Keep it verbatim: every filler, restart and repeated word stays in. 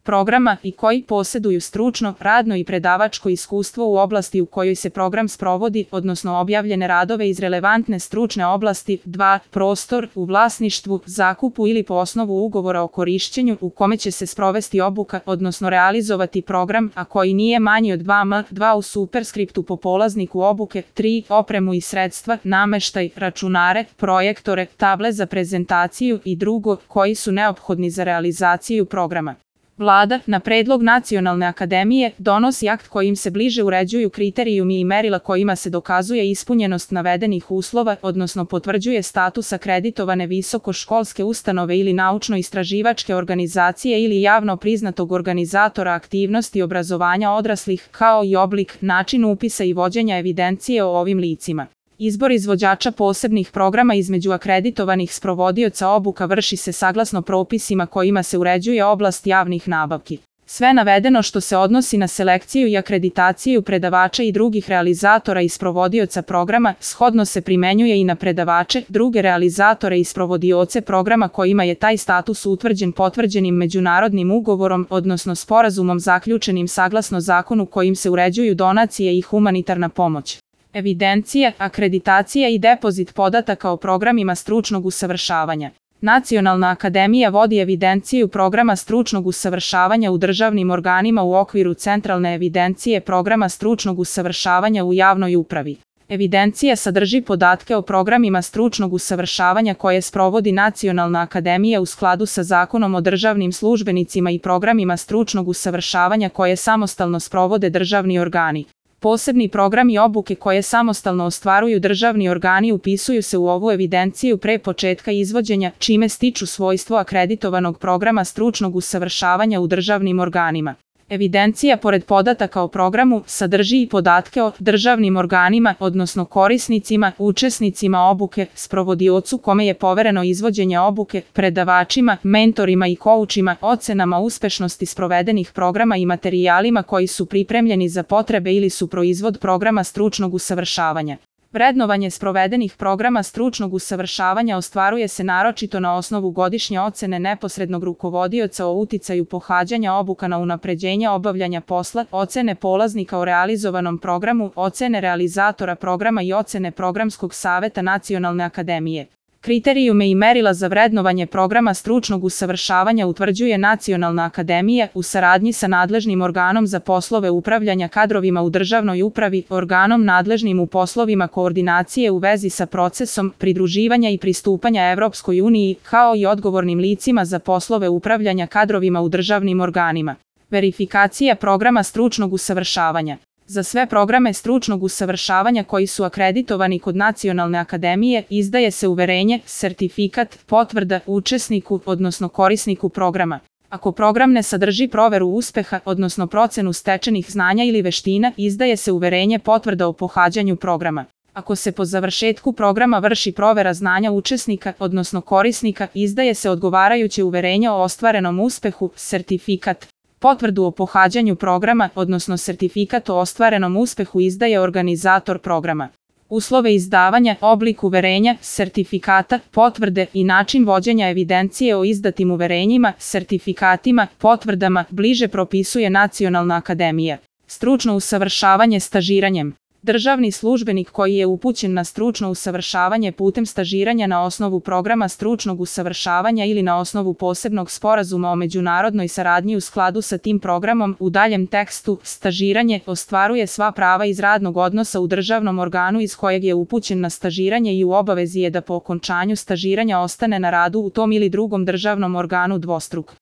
programa i koji posjeduju stručno, radno i predavačko iskustvo u oblasti u kojoj se program sprovodi, odnosno objavljene radove iz relevantne stručne oblasti. dva. Prostor u vlasništvu, zakupu ili po osnovu ugovora o korišćenju u kome će se sprovesti obuka, odnosno realizovati program, a koji nije manji od dva m. dva. U superskriptu po polazniku obuke. tri. Opremu i sredstva, nameštaj, računare, projektore, table za prezentaciju i drugo koji su neophodni za realizaciju programa. Vlada, na predlog Nacionalne akademije, donosi akt kojim se bliže uređuju kriterijumi i merila kojima se dokazuje ispunjenost navedenih uslova, odnosno potvrđuje status akreditovane visokoškolske ustanove ili naučno-istraživačke organizacije ili javno priznatog organizatora aktivnosti obrazovanja odraslih, kao i oblik, način upisa i vođenja evidencije o ovim licima. Izbor izvođača posebnih programa između akreditovanih sprovodioca obuka vrši se saglasno propisima kojima se uređuje oblast javnih nabavki. Sve navedeno što se odnosi na selekciju i akreditaciju predavača i drugih realizatora i sprovodioca programa, shodno se primenjuje i na predavače, druge realizatore i sprovodioce programa kojima je taj status utvrđen potvrđenim međunarodnim ugovorom, odnosno sporazumom zaključenim saglasno zakonu kojim se uređuju donacije i humanitarna pomoć. Evidencija, akreditacija i depozit podataka o programima stručnog usavršavanja. Nacionalna akademija vodi evidenciju programa stručnog usavršavanja u državnim organima u okviru centralne evidencije programa stručnog usavršavanja u javnoj upravi. Evidencija sadrži podatke o programima stručnog usavršavanja koje sprovodi Nacionalna akademija u skladu sa Zakonom o državnim službenicima i programima stručnog usavršavanja koje samostalno sprovode državni organi. Posebni programi obuke koje samostalno ostvaruju državni organi upisuju se u ovu evidenciju pre početka izvođenja, čime stiču svojstvo akreditovanog programa stručnog usavršavanja u državnim organima. Evidencija, pored podataka o programu, sadrži i podatke o državnim organima, odnosno korisnicima, učesnicima obuke, sprovodiocu kome je povereno izvođenje obuke, predavačima, mentorima i koučima, ocenama uspešnosti sprovedenih programa i materijalima koji su pripremljeni za potrebe ili su proizvod programa stručnog usavršavanja. Vrednovanje sprovedenih programa stručnog usavršavanja ostvaruje se naročito na osnovu godišnje ocene neposrednog rukovodioca o uticaju pohađanja obuka na unapređenje obavljanja posla, ocene polaznika o realizovanom programu, ocene realizatora programa i ocene programskog saveta Nacionalne akademije. Kriterijume i merila za vrednovanje programa stručnog usavršavanja utvrđuje Nacionalna akademija u saradnji sa nadležnim organom za poslove upravljanja kadrovima u državnoj upravi, organom nadležnim u poslovima koordinacije u vezi sa procesom pridruživanja i pristupanja Evropskoj uniji, kao i odgovornim licima za poslove upravljanja kadrovima u državnim organima. Verifikacija programa stručnog usavršavanja. Za sve programe stručnog usavršavanja koji su akreditovani kod Nacionalne akademije, izdaje se uverenje, sertifikat, potvrda učesniku, odnosno korisniku programa. Ako program ne sadrži proveru uspeha, odnosno procenu stečenih znanja ili veština, izdaje se uverenje, potvrda o pohađanju programa. Ako se po završetku programa vrši provera znanja učesnika, odnosno korisnika, izdaje se odgovarajuće uverenje o ostvarenom uspehu, sertifikat. Potvrdu o pohađanju programa, odnosno sertifikat o ostvarenom uspehu izdaje organizator programa. Uslove izdavanja, oblik uverenja, sertifikata, potvrde i način vođenja evidencije o izdatim uverenjima, sertifikatima, potvrdama bliže propisuje Nacionalna akademija. Stručno usavršavanje stažiranjem. Državni službenik koji je upućen na stručno usavršavanje putem stažiranja na osnovu programa stručnog usavršavanja ili na osnovu posebnog sporazuma o međunarodnoj saradnji u skladu sa tim programom, u daljem tekstu, stažiranje ostvaruje sva prava iz radnog odnosa u državnom organu iz kojeg je upućen na stažiranje i u obavezi je da po okončanju stažiranja ostane na radu u tom ili drugom državnom organu dvostruk.